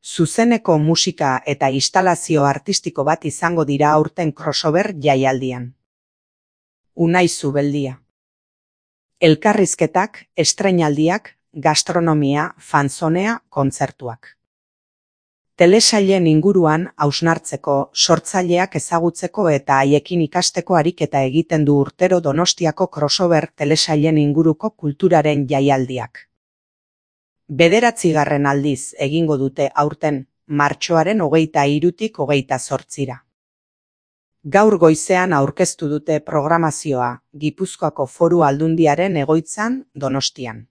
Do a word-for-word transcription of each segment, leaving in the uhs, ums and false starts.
Zuzeneko musika eta instalazio artistiko bat izango dira aurten crossover jaialdian. Unai Zubeldia. Elkarrizketak, estreinaldiak, gastronomia, fanzonea, kontzertuak. Telesailen inguruan hausnartzeko, sortzaileak ezagutzeko eta haiekin ikasteko ariketa egiten du urtero Donostiako crossover telesailen inguruko kulturaren jaialdiak. Bederatzigarren aldiz egingo dute aurten, martxoaren hogeita hirutik hogeita zortzira. Gaur goizean aurkeztu dute programazioa, Gipuzkoako Foru Aldundiaren egoitzan Donostian.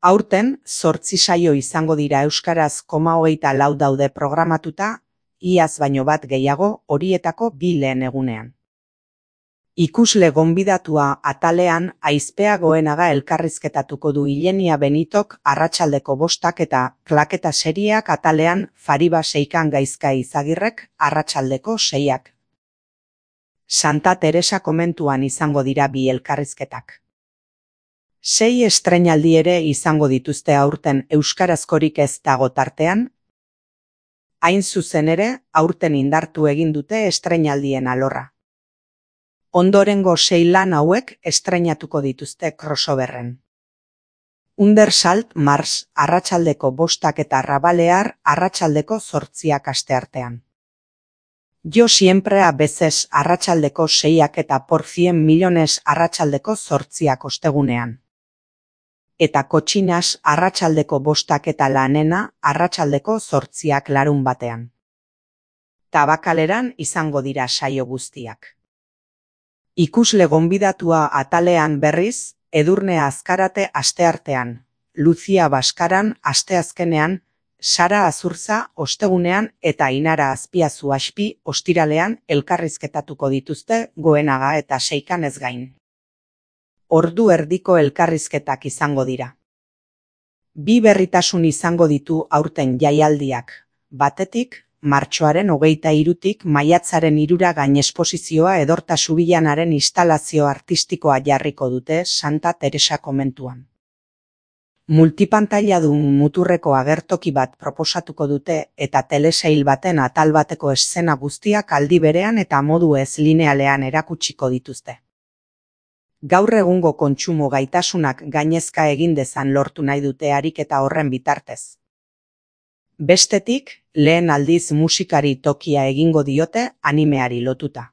Aurten, zortzi saio izango dira euskaraz koma hogeita lau daude programatuta, iaz baino bat gehiago horietako bi lehen egunean. Ikusle gonbidatua atalean Aizpea Goenaga elkarrizketatuko du Ilenia Benitok arratsaldeko bostak eta klaketa serieak atalean Fariba Seikan Gaizka Izagirrek arratsaldeko seiak. Santa Teresa komentuan izango dira bi elkarrizketak. Sei estreinaldi ere izango dituzte aurten euskarazkorik ez dago tartean. Hain zuzen ere, aurten indartu egin dute estreinaldien alorra. Ondorengo sei lan hauek estreinatuko dituzte crossoverren. Undersalt Mars arratsaldeko bostak eta Rabalear arratsaldeko zortziak asteartean. Yo siempre a veces arratsaldeko seiak eta por cien millones arratsaldeko zortziak ostegunean. Eta Kotxinas arratsaldeko bostak eta Lanena arratsaldeko zortziak larun batean. Tabakaleran izango dira saio guztiak. Ikusle gonbidatua atalean berriz, Edurne Azkarate asteartean, Lucia Baskaran asteazkenean, Sara Azurza ostegunean eta Inara Azpiazu Aspi ostiralean elkarrizketatuko dituzte Goenaga eta Seikan ez gain. Ordu erdiko elkarrizketak izango dira. Bi berritasun izango ditu aurten jaialdiak, batetik, martxoaren hogeita hirutik maiatzaren hirura gainesposizioa Edorta Subillanaren instalazio artistikoa jarriko dute Santa Teresa komentuan. Multipantailadun muturreko agertoki bat proposatuko dute eta telesail baten atal bateko eszena guztiak aldi berean eta modu ez linealean erakutsiko dituzte. Gaur egungo kontsumo gaitasunak gainezka egin dezan lortu nahi dute ariketa horren bitartez. Bestetik, lehen aldiz musikari tokia egingo diote animeari lotuta.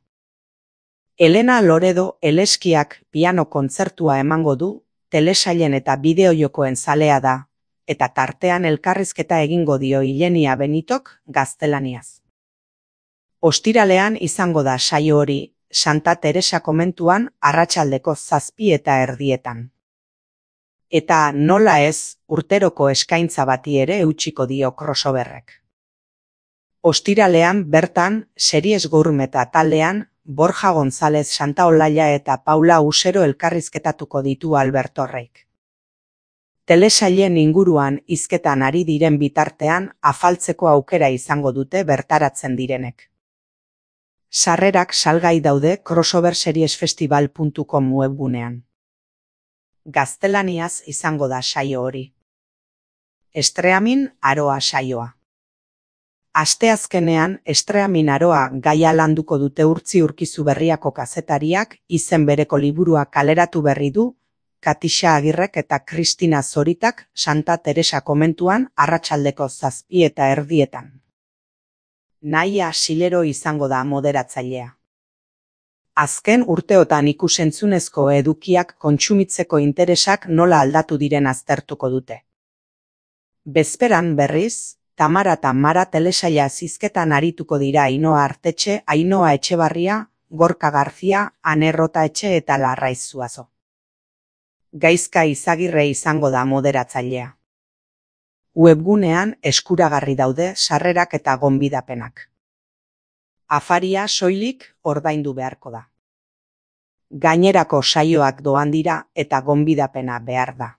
Elena Loredo Eleskiak piano kontzertua emango du, telesailen eta bideojokoen zalea da, eta tartean elkarrizketa egingo dio Ilenia Benitok gaztelaniaz. Ostiralean izango da saio hori, Santa Teresa komentuan arratsaldeko zazpi eta erdietan. Eta nola ez, urteroko eskaintza bati ere eutsiko dio crossoverrek. Ostiralean bertan, Series Gourmet taldean, Borja González Santaolaia eta Paula Usero elkarrizketatuko ditu Alberto Reik. Telesailen inguruan hizketan ari diren bitartean afaltzeko aukera izango dute bertaratzen direnek. Sarrerak salgai daude crossoverseriesfestival puntu com webgunean. Gaztelaniaz izango da saio hori. Estreamin Aroa saioa. Asteazkenean Estreamin Aroa gaia landuko dute Urtzi Urkizuberriako kazetariak izen bereko liburua kaleratu berri du, Katixa Agirrek eta Kristina Zoritak Santa Teresa komentuan arratsaldeko zazpi eta erdietan. Naia Silero izango da moderatzailea. Azken urteotan ikusentzunezko edukiak kontsumitzeko interesak nola aldatu diren aztertuko dute. Bezperan berriz, Tamara eta Mara telesaila zizketan arituko dira Ainhoa Artetxe, Ainhoa Etxebarria, Gorka Garzia, Ane Rotaetxe eta Larraiz Zuazo. Gaizka Izagirre izango da moderatzailea. Webgunean eskuragarri daude sarrerak eta gonbidapenak. Afaria soilik ordaindu beharko da. Gainerako saioak doan dira eta gonbidapena behar da.